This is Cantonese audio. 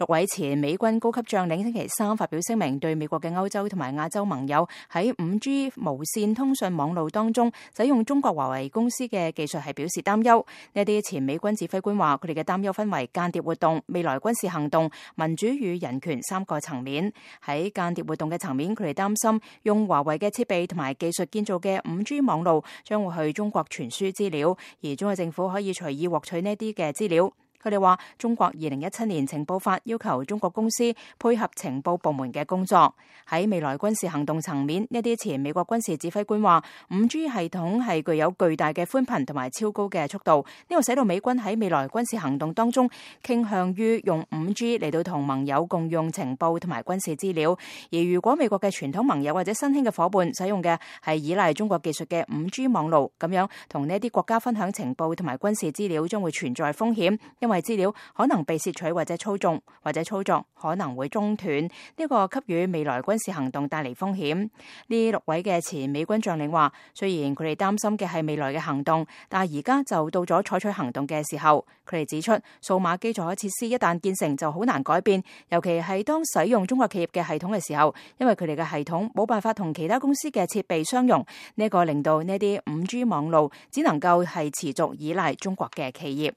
6位前美軍高級將領星期三發表聲明，對美國嘅歐洲同埋亞洲盟友喺 5G 無線通訊網路當中使用中國華為公司嘅技術係表示擔憂。呢啲前美軍指揮官話，佢哋嘅擔憂分為間諜活動、未來軍事行動、民主與人權3個層面。喺間諜活動嘅層面，佢哋擔心用華為嘅設備同埋技術建造嘅 5G 網路將會去中國傳輸資料，而中國政府可以隨意獲取呢啲嘅資料。佢哋話，中國2017年情報法要求中國公司配合情報部門嘅工作。喺未來軍事行動層面，呢啲前美國軍事指揮官話 5G 系統係具有巨大嘅寬頻同埋超高嘅速度，呢個使到美軍喺未來軍事行動當中傾向於用 5G 嚟到同盟友共用情報同埋軍事資料。而如果美國嘅傳統盟友或者新興嘅夥伴使用嘅係依賴中國技術嘅 5G 網路，咁樣同呢啲國家分享情報同埋軍事資料將會存在風險，因為資料可能被竊取或者操縱，或者操作可能會中斷，呢個給予未來軍事行動帶嚟風險。呢6位嘅前美軍將領話，雖然佢哋擔心嘅係未來嘅行動，但係而家就到咗採取行動嘅時候。佢哋指出，數碼基礎設施一旦建成就好難改變，尤其係當使用中國企業嘅系統嘅時候，因為佢哋嘅系統冇辦法同其他公司嘅設備相容，呢個令到呢啲 5G 網路只能夠係持續依賴中國嘅企業。